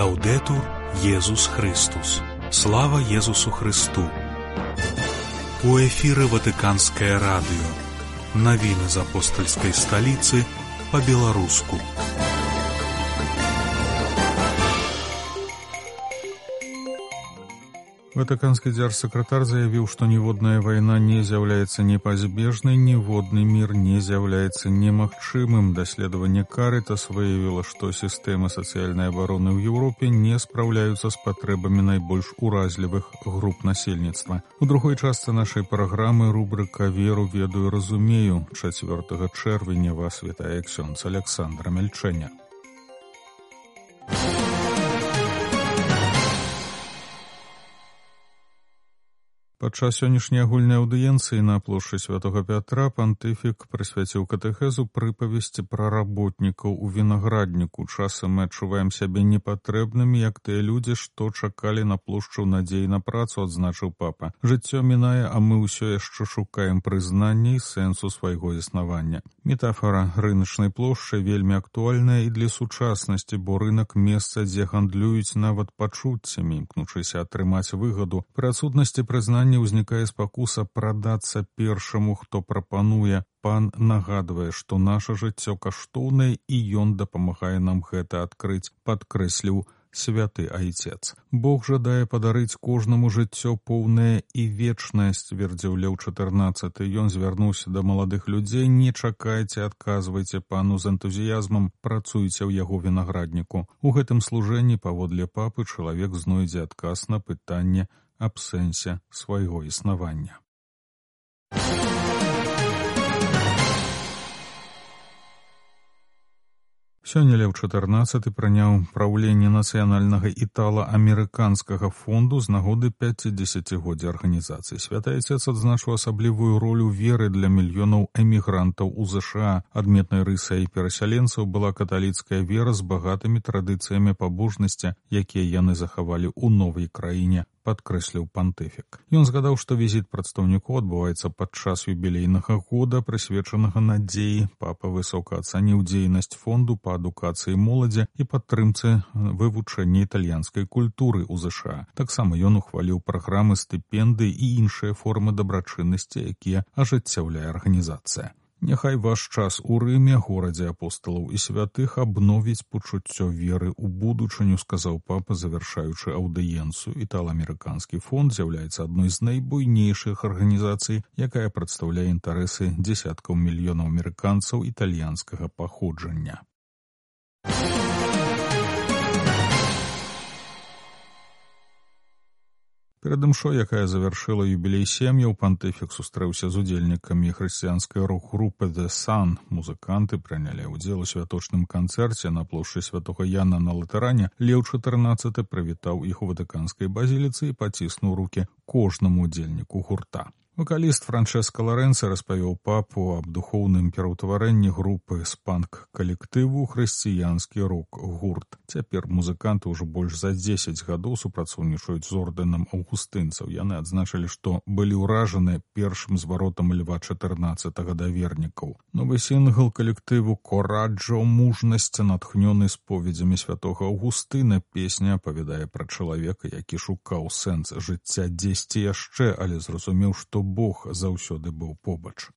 Лаўдэтур Езус Христус. Слава Езусу Христу. У эфіры Ватыканскае радыё. Навіны з апостальскай сталіцы па-беларуску. Ватыканскі дзяржсакратар заявіў, што ніводная вайна не з'яўляецца непазбежнай, ніводны мір не з'яўляецца немагчымым. Даследаванне Карытас выявіла, што сістэмы сацыяльнай абароны ў Еўропе не спраўляюцца з патрэбамі найбольш уразлівых груп насельніцтва. У другой частцы нашай праграмы рубрыка «Веру, ведаю, разумею». 4 чэрвеня вас вітае ксёндз Александра Мельчэня. Падчас сённяшняй агульнай аўдыенцыі на плошчы Святога Пятра пантыфік прысвяціў катэхезу прыпавесці пра работнікаў у вінаградніку. Часам мы адчуваем сябе непатрэбнымі, як тыя людзі, што чакалі на плошчу надзеі на працу, адзначыў папа. Жыццё мінае, а мы ўсё яшчэ шукаем прызнання і сэнсу свайго існавання. Метафара рыначнай плошчы вельмі актуальная і для сучаснасці, бо рынак месца, дзе гандлююць нават пачуццямі, імкнучыся атрымаць выгаду. Пры адсутнасці прызнання узнікае спакуса прадацца першаму, хто прапануе. Пан нагадвае, што наша жыццё каштоўнае і ён дапамагае нам гэта адкрыць, падкрэсліў святы айцец. Бог жадае падарыць кожнаму жыццё поўнае і вечнае, сцвердзіў Леў XIV. Ён звярнуўся да маладых людзей: не чакайце, адказвайце пану з энтузіязмам, працуйце ў яго вінаградніку. У гэтым служэнні, паводле папы, чалавек знойдзе адказ на пытанне аб сэнсе свайго існавання. Сёння Леў XIV прыняў праўленне нацыянальнага італа-амерыканскага фонду з нагоды 50-годдзя арганізацыі. Святы айцец адзначыў асаблівую ролю веры для мільёнаў эмігрантаў у ЗША. Адметнай рысай перасяленцаў была каталіцкая вера з багатымі традыцыямі пабожнасці, якія яны захавалі ў новай краіне, падкрэсліў пантыфік. Ён згадаў, што візіт прадстаўнікоў адбываецца падчас юбілейнага года, прысвечанага надзеі. Папа высока ацаніў дзейнасць фонду па адукацыі моладзі і падтрымцы вывучэння італьянскай культуры ў ЗША. Таксама ён ухваліў праграмы стыпендый і іншыя формы дабрачыннасці, якія ажыццяўляе арганізацыя. Няхай ваш час у Рыме, горадзе апосталаў і святых, абновіць пачуццё веры ў будучыню, сказаў папа, завяршаючы аўдыенцыю. Італа-амерыканскі фонд з'яўляецца адной з найбуйнейшых арганізацый, якая прадстаўляе інтарэсы дзесяткаў мільёнаў амерыканцаў італьянскага паходжання. 'Перад імшой, якая завяршыла юбілей сем'яў, пантыфік сустрэўся з удзельнікамі хрысціянскай рок-групы The Sun. Музыканты прынялі ўдзел у святочным канцэрце на плошчы Святога Яна на Латэране. Леў XIV прывітаў іх у ватыканскай базіліцы і паціснуў рукі кожнаму удзельніку гурта. Вакаліст Франчэска Ларэнца распавёў папу аб духоўным пераўтварэнні групы з панк-калектыву хрысціянскі рок-гурт. Цяпер музыканты ўжо больш за 10 гадоў супрацоўнічаюць з ордэнам аўгустынцаў. Яны адзначылі, што былі ўражаны першым зваротам Льва XIV да вернікаў. Новы сінгл калектыву «Кораджо» «Мужнасць», натхнёны споведзямі святога Аўгустына. Песня апавядае пра чалавека, які шукаў сэнс жыцця дзесьці яшчэ, але зразумеў, што Бог заўсёды быў побач.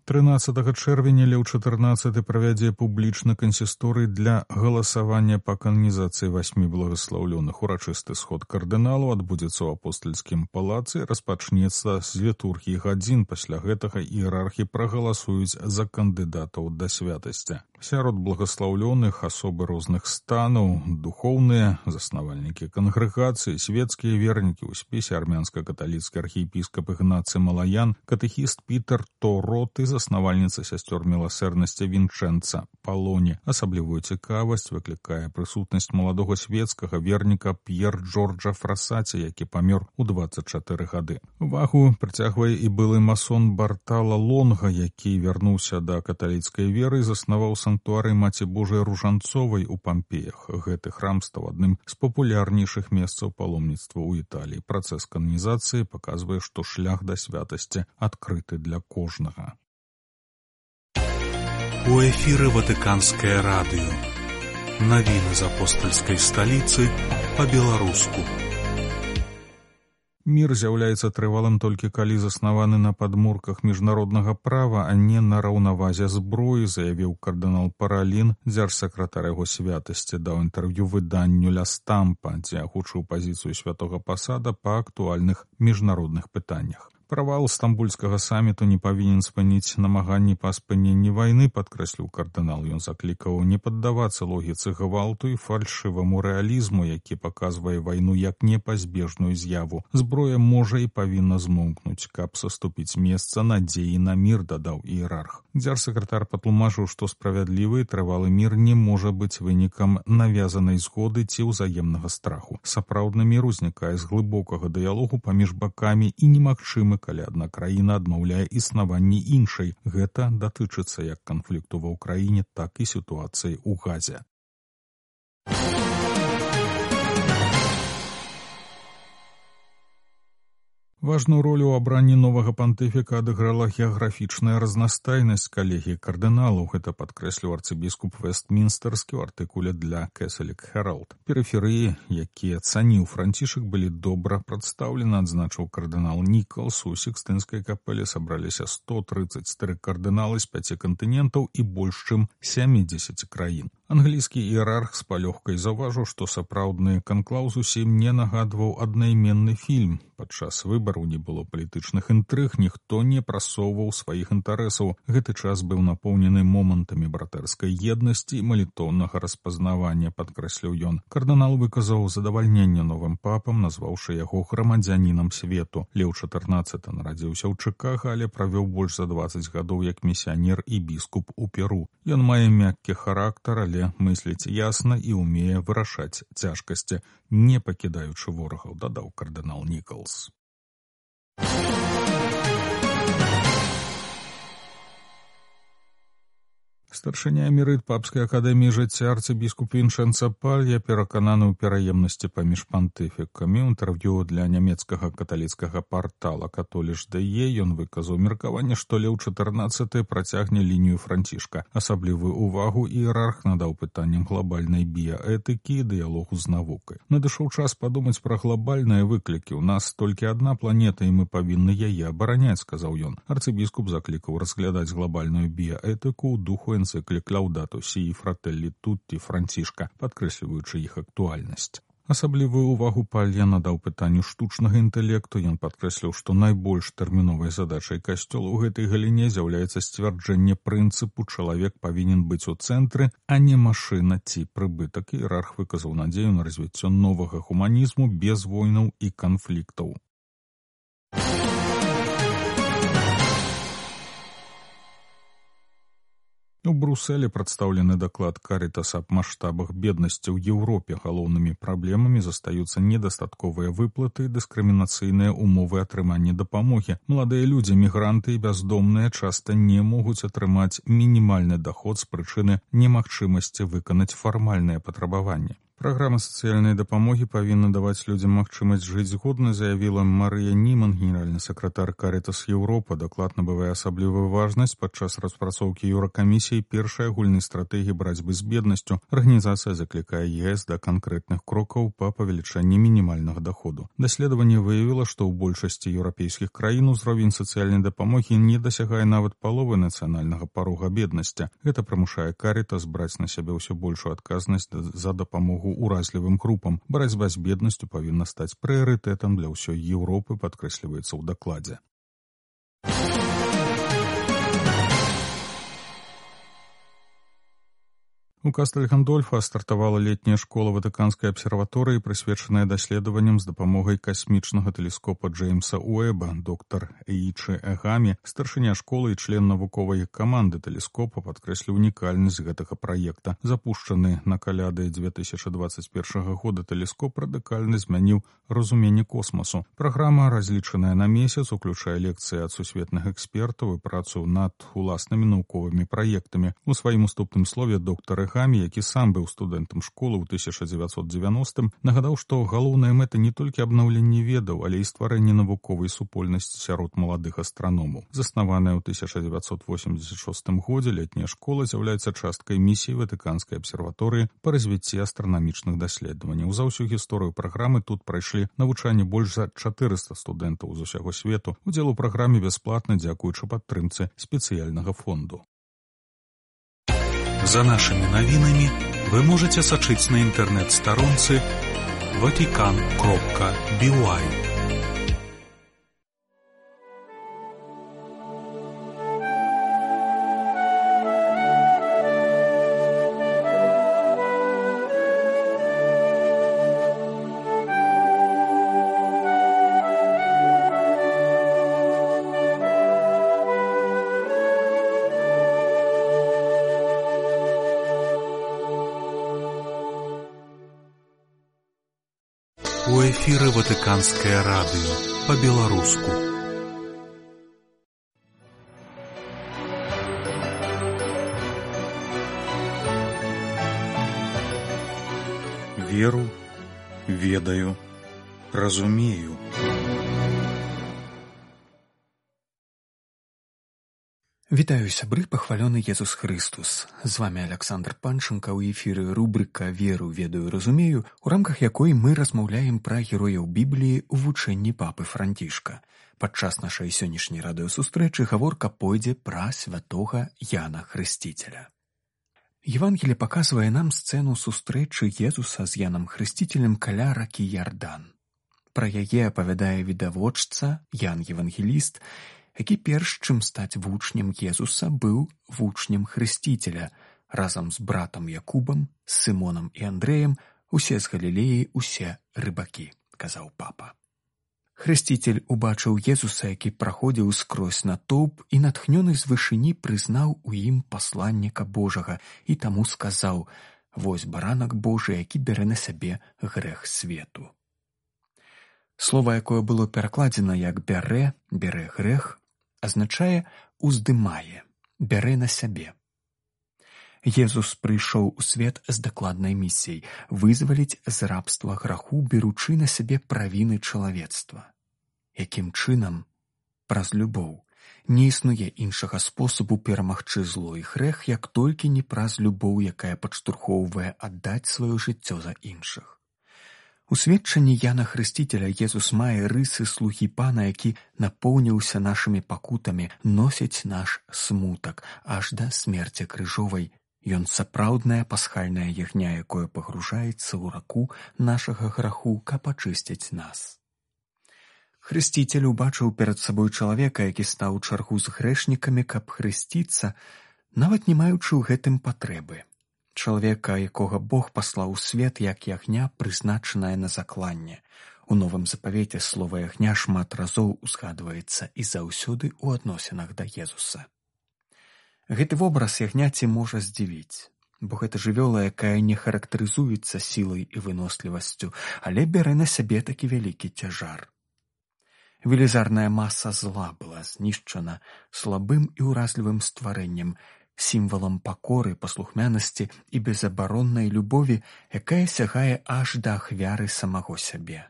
13 чэрвеня Леў XIV правядзе публічны кансісторый для галасавання па кананізацыі 8 благаслаўлёных. Урачысты сход кардыналаў адбудзецца ў апостальскім палацы, распачнецца з літургіі гадзін. Пасля гэтага іерархі прагаласуюць за кандыдатаў да святасці. Сярод благаслаўлёных асобы розных станаў, духоўныя, заснавальнікі кангрэгацыі, свецкія вернікі. У спісе армянска-каталіцкі архіепіскап Ігнацый Малаян, катэхіст Пітер Торот і заснавальніца сясцёр міласэрнасці Вінчэнца Палоні. Асаблівую цікавасць выклікае прысутнасць маладога свецкага верніка П'ер Джорджа Фрасаці, які памёр у 24 гады. Увагу прыцягвае і былы масон Бартала Лонга, які вярнуўся да каталіцкай веры і заснаваў санктуарый Маці Божай Ружанцовай у Пампеях. Гэты храм стаў адным з папулярнейшых месцаў паломніцтва ў Італіі. Працэс кананізацыі паказвае, што шлях да святасці адкрыты для кожнага. У эфіры Ватыканскае радыё. Навіны з апостальскай сталіцы па-беларуску. Мір з'яўляецца трывалым толькі калі заснаваны на падмурках міжнароднага права, а не на раўнавазе зброі, заявіў кардынал Паралін, дзяржсакратар яго святасці, даў інтэрв'ю выданню «Ля Стампа», дзе агучыў пазіцыю святога пасада па актуальных міжнародных пытаннях. Правал стамбульскага саміту не павінен спыніць намаганні па спыненні вайны, падкрэсліў кардынал. Ён заклікаў не паддавацца логіцы гвалту і фальшываму рэалізму, які паказвае вайну як непазбежную з'яву. Зброя можа і павінна змоўкнуць, каб саступіць месца надзеі на мір, дадаў іерарх. Дзяржсакратар патлумачыў, што справядлівы і трывалы мір не можа быць вынікам навязанай згоды ці ўзаемнага страху. Сапраўдны мір узнікае з глыбокага дыялогу паміж бакамі і немагчымы, калі адна краіна адмаўляе існаванне іншай. Гэта датычыцца як канфлікту ва ўкраіне, так і сітуацыі ў Газе. Важную ролю ў абранні новага пантыфіка адыграла геаграфічная разнастайнасць калегіі кардыналаў. Гэта падкрэсліў арцыбіскуп Вестмінстэрскі ў артыкуле для Кэсалік Хэралд. Перыферыі, якія цаніў Францішак, былі добра прадстаўлены, адзначыў кардынал Нікалс. У Сікстынскай капэле сабраліся 133 кардыналы з 5 кантынентаў і больш чым 70 краін. Англійскі іерарх з палёгкай заўважыў, што сапраўдны канклаў зусім не нагадваў аднайменны фільм. Падчас выбараў не было палітычных інтрыг, ніхто не прасоўваў сваіх інтарэсаў. Гэты час быў напоўнены момантамі братэрскай еднасці і малітоўнага распазнавання, падкрэсліў ён. Кардынал выказаў задавальненне новым папам, назваўшы яго грамадзянінам свету. Леў XIV нарадзіўся ў Чыкага, але правёў больш за 20 гадоў як місіянер і біскуп у Перу. Ён мае мяккі характар, але мысліць ясна і ўмее вырашаць цяжкасці, не пакідаючы ворагаў, дадаў кардынал Нікалс. Старшыня эмерыт папскай акадэміі жыцця арцыбіскуп Віншэнца Палья перакананы ў пераемнасці паміж пантыфікамі. У інтэрв'ю для нямецкага каталіцкага партала «Католіш.де» ён выказаў меркаванне, што Леў XIV працягне лінію Францішка. Асаблівую ўвагу іерарх надаў пытанням глобальнай біяэтыкі і дыялогу з навукай. Надышоў час падумаць пра глобальныя выклікі. У нас толькі адна планета, і мы павінны яе абараняць, сказаў ён. Арцыбіскуп заклікаў разглядаць глобальную біяэтыку ў духу энцыклік «Лаудату сі» і «Фрателлі тутті» Францішка, падкрэсліваючы іх актуальнасць. Асаблівую ўвагу Палья надаў пытанню штучнага інтэлекту. Ён падкрэсліў, што найбольш тэрміновай задачай касцёла ў гэтай галіне з'яўляецца сцвярджэнне прынцыпу «чалавек павінен быць у цэнтры, а не машына ці прыбытак». Іерарх выказаў надзею на развіццё новага гуманізму без войнаў і канфліктаў. У Брусэлі прадстаўлены даклад Карітаса аб маштабах беднасці ў Еўропе. Галоўнымі праблемамі застаюцца недастатковыя выплаты і дыскрымінацыйныя умовы атрымання дапамогі. Маладыя людзі, мігранты і бяздомныя часта не могуць атрымаць мінімальны даход з прычыны немагчымасці выканаць фармальныя патрабаванні. Праграма сацыяльнай дапамогі павінна даваць людзям магчымасць жыць згодна, заявіла Марыя Німан, генеральны сакратар Карітас Еўропа. Даклад набывае асаблівую важнасць падчас распрацоўкі Еўракамісіі першай агульнай стратэгіі барацьбы з беднасцю. Арганізацыя заклікае ЕС да канкрэтных крокаў па павелічэнні мінімальнага даходу. Даследаванне выявіла, што ў большасці еўрапейскіх краін узровень сацыяльнай дапамогі не дасягае нават паловы нацыянальнага парога беднасці. Гэта прымушае Карітас браць на сябе ўсё большую адказнасць за дапамогу уразлівым групам. Барацьба з беднасцю павінна стаць прыярытэтам для ўсёй Еўропы, падкрэсліваецца ў дакладзе. У Кастэль-Гандольфа стартавала летняя школа Ватыканскай абсерваторыі, прысвечаная даследаванням з дапамогай касмічнага тэлескопа Джеймса Уэба. Доктар Эйчы Эгамі, старшыня школы і член навуковай каманды тэлескопа, падкрэсліў унікальнасць гэтага праекта. Запушчаны на каляды 2021 года тэлескоп радыкальна змяніў разуменне космасу. Праграма, разлічаная на месяц, уключае лекцыі ад сусветных экспертаў і працу над уласнымі навуковымі праектамі. У сваім уступным слове доктар Хамі, які сам быў студэнтам школы ў 1990-м, нагадаў, што галоўная мэта не толькі абнаўленне ведаў, але і стварэнне навуковай супольнасці сярод маладых астраномаў. Заснаваная ў 1986 годзе, летняя школа з'яўляецца часткай місіі Ватыканскай абсерваторыі па развіцці астранамічных даследаванняў. За ўсю гісторыю праграмы тут прайшлі навучанне больш за 400 студэнтаў з усяго свету. Удзел у праграме бясплатна дзякуючы падтрымцы спецыяльнага фонду. За нашими новинами вы можете сочить на интернет-сторонце vatican.by. У эфіры Ватыканскае радыё па-беларуску. Веру, ведаю, разумею. Вітаю, сябры, пахвалёны Езус Хрыстус. З вами Александр Панченко, у эфіры рубрыка «Веру, ведаю, разумею», у рамках якой мы размаўляем пра герояў Бібліі ў вучэнні папы Францішка. Падчас нашай сённяшняй радыёсустрэчы гаворка пойдзе пра святога Яна Хрысціцеля. Евангелие паказвае нам сцэну сустрэчы Езуса з Янам Хрысціцелем каля ракі Ярдан. Пра яе апавядае відавочца Ян Евангеліст, які перш чым стаць вучнем Езуса быў вучнем Хрысціцеля. Разам з братам Якубам, з Сымонам і Андрэем, усе з Галілеі, усе рыбакі, казаў папа. Хрысціцель убачыў Езуса, які праходзіў скрозь натоўп і натхнёны з вышыні прызнаў у ім пасланніка Божага і таму сказаў: «Вось баранак Божы, які бярэ на сябе грэх свету». Слова, якое было перакладзена як «бярэ», «бярэ грэх», азначае «уздымае», «бярэ на сябе». Езус прыйшоў у свет з дакладнай місіяй вызваліць з рабства граху, беручы на сябе правіны чалавецтва. Якім чынам? Праз любоў. Не існуе іншага спосабу перамагчы зло і грэх, як толькі не праз любоў, якая падштурхоўвае аддаць сваё жыццё за іншых. У сведчанні Яна Хрысціцеля Езус мае рысы слугі Пана, які напоўніўся нашымі пакутамі, носіць наш смутак аж да смерці крыжовай. Ён сапраўдная пасхальная ягня, якое пагружаецца ў раку нашага граху, каб ачысціць нас. Хрысціцель убачыў перад сабой чалавека, які стаў у чаргу з грэшнікамі, каб хрысціцца, нават не маючы ў гэтым патрэбы. Чалавека, якога Бог паслаў у свет, як ягня, прызначаная на закланне. У Новым запавеце слова ягня шмат разоў узгадваецца і заўсёды ў адносінах да Езуса. Гэты вобраз ягняці можа здзівіць, бо гэта жывёла, якая не характарызуецца сілай і вынослівасцю, але бярэ на сябе такі вялікі цяжар. Велізарная маса зла была знішчана слабым і ўразлівым стварэннем, сімвалам пакоры, паслухмянасці і безабароннай любові, якая сягае аж да ахвяры самого сябе.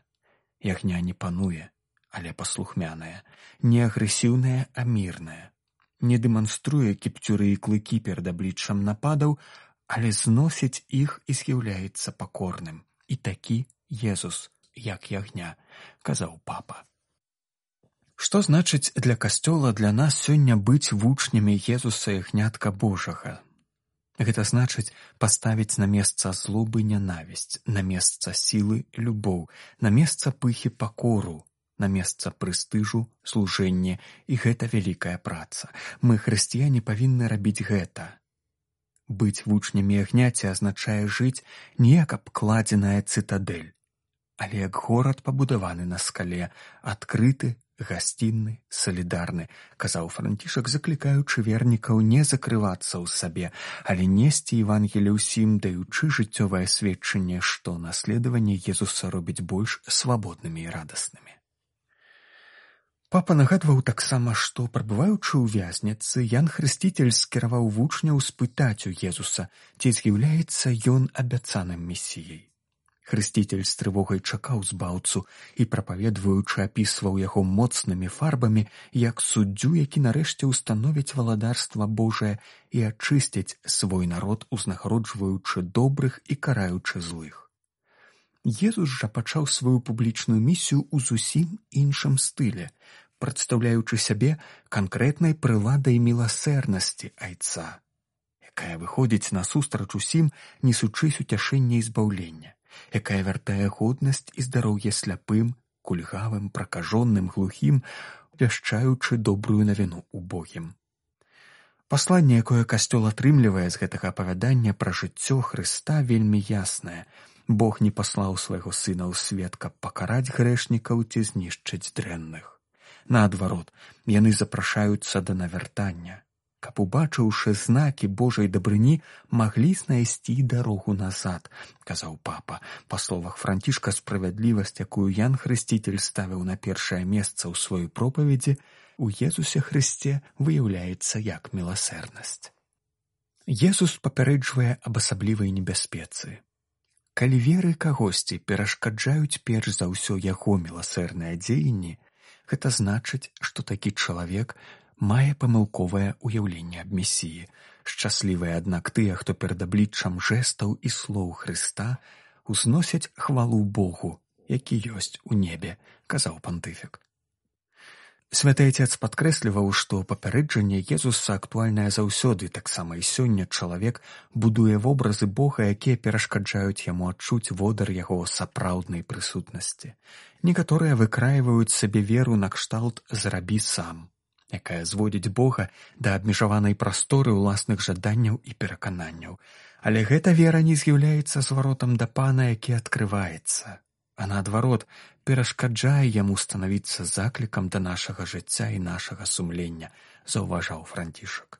Ягня не пануе, але паслухмяная, не агрэсіўная, а мірная. Не дэманструе кіпцюры і клыкі перад абліччам нападаў, але зносіць іх і з'яўляецца пакорным. І такі Езус, як ягня, казаў папа. Што значыць для Касцёла, для нас сёння быць вучнямі Езуса, ягнятка Божага? Гэта значыць паставіць на месца злобы нянавісць, на месца сілы любоў, на месца пыхі пакору, на месца прэстыжу служэнне, і гэта вялікая праца. Мы, хрысціяне, павінны рабіць гэта. Быць вучнямі ягняці азначае жыць не як абкладзеная цытадэль, але як горад, пабудаваны на скале, адкрыты, гасцінны, салідарны, казаў Францішак, заклікаючы вернікаў не закрывацца ў сабе, але несці Евангелие ўсім, даючы жыццёвае сведчанне, што наследаванне Езуса робіць больш свабоднымі і радаснымі. Папа нагадваў таксама, што, прабываючы ў вязніцы, Ян Хрысціцель скіраваў вучняў спытаць у Езуса, ці з'яўляецца ён абяцаным месіяй. Хрысціцель з трывогай чакаў збаўцу і, прапаведваючы, апісваў яго моцнымі фарбамі, як суддзю, які нарэшце ўстановіць валадарства Божае і ачысціць свой народ, узнагароджваючы добрых і караючы злых. Езус жа пачаў сваю публічную місію ў зусім іншым стылі, прадстаўляючы сябе канкрэтнай прыладай міласэрнасці айца, якая выходзіць насустрач усім, несучы уцяшэння і збаўлення, якая вяртае годнасць і здароўе сляпым, кульгавым, пракажоным, глухім, вяшчаючы добрую навіну убогім. Пасланне, якое Касцёл атрымлівае з гэтага апавядання пра жыццё Хрыста, вельмі яснае. Бог не паслаў свайго сына ў свет, каб пакараць грэшнікаў ці знішчыць дрэнных. Наадварот, яны запрашаюцца да навяртання, каб, убачыўшы знакі Божай дабрыні, маглі знайсці дарогу назад, казаў папа. Па словах Францішка, справядлівасць, якую Ян Хрысціцель ставіў на першае месца ў сваёй пропаведзі, у Езусе Хрысце выяўляецца як міласэрнасць. Езус папярэджвае аб асаблівай небяспецы. Калі веры кагосьці перашкаджаюць перш за ўсё яго міласэрныя дзеянні, гэта значыць, што такі чалавек мае памылковае ўяўленне аб месіі. Шчаслівыя, аднак, тыя, хто перад абліччам жэстаў і слоў Хрыста узносяць хвалу Богу, які ёсць у небе, казаў пантыфік. Святы Отец падкрэсліваў, што папярэджанне Езуса актуальнае заўсёды, таксама і сёння чалавек будуе вобразы Бога, якія перашкаджаюць яму адчуць водар яго сапраўднай прысутнасці. Некаторыя выкраіваюць сабе веру накшталт «зрабі сам», якая зводзіць Бога да абмежаванай прасторы ўласных жаданняў і перакананняў. Але гэта вера не з'яўляецца зваротам да Пана, які адкрываецца, а наадварот, перашкаджае яму станавіцца заклікам да нашага жыцця і нашага сумлення, заўважаў Францішак.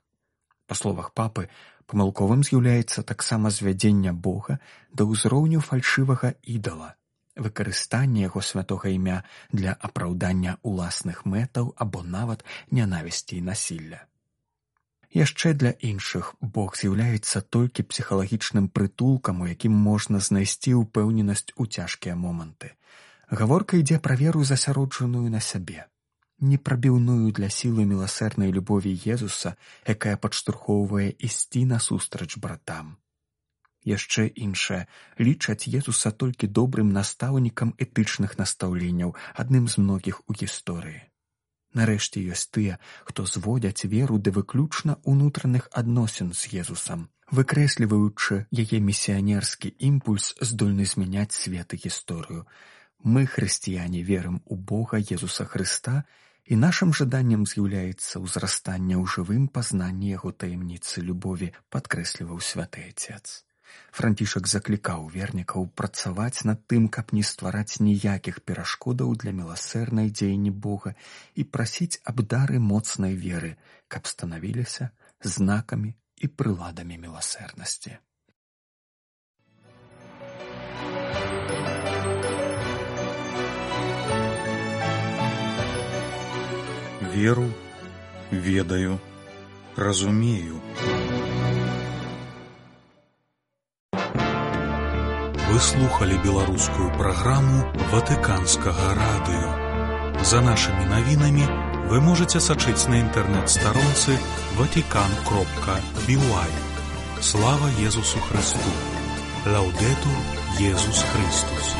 Па словах папы, памылковым з'яўляецца таксама звядзення Бога да ўзроўню фальшывага ідала, выкарыстанне яго святога імя для апраўдання ўласных мэтаў або нават нянавісці і насілля. Яшчэ для іншых Бог з'яўляецца толькі псіхалагічным прытулкам, у якім можна знайсці ўпэўненасць у цяжкія моманты. Гаворка ідзе пра веру, засяроджаную на сябе, непрабіўную для сілы міласэрнай любові Езуса, якая падштурхоўвае ісці насустрач братам. Яшчэ іншае лічаць Езуса толькі добрым настаўнікам этычных настаўленняў, адным з многіх у гісторыі. Нарэшце ёсць тыя, хто зводзяць веру да выключна ўнутраных адносін з Езусам, выкрэсліваючы яе місіянерскі імпульс, здольны змяняць свет і гісторыю. Мы, хрысціяне, верым у Бога Езуса Хрыста, і нашым жаданнем з'яўляецца ўзрастанне ў жывым пазнанні яго таямніцы любові, падкрэсліваў святы Отец. Францішак заклікаў вернікаў працаваць над тым, каб не ствараць ніякіх перашкодаў для міласэрнай дзеянні Бога і прасіць аб дары моцнай веры, каб станавіліся знакамі і прыладамі міласэрнасці. Веру, ведаю, разумею. Вы слухали беларускую праграму Ватыканскага радыё. За нашымі навінамі вы можаце сачыць на інтэрнэт-старонцы vatican.by. Слава Езусу Хрысту! Лаўдэтур Езус Христус!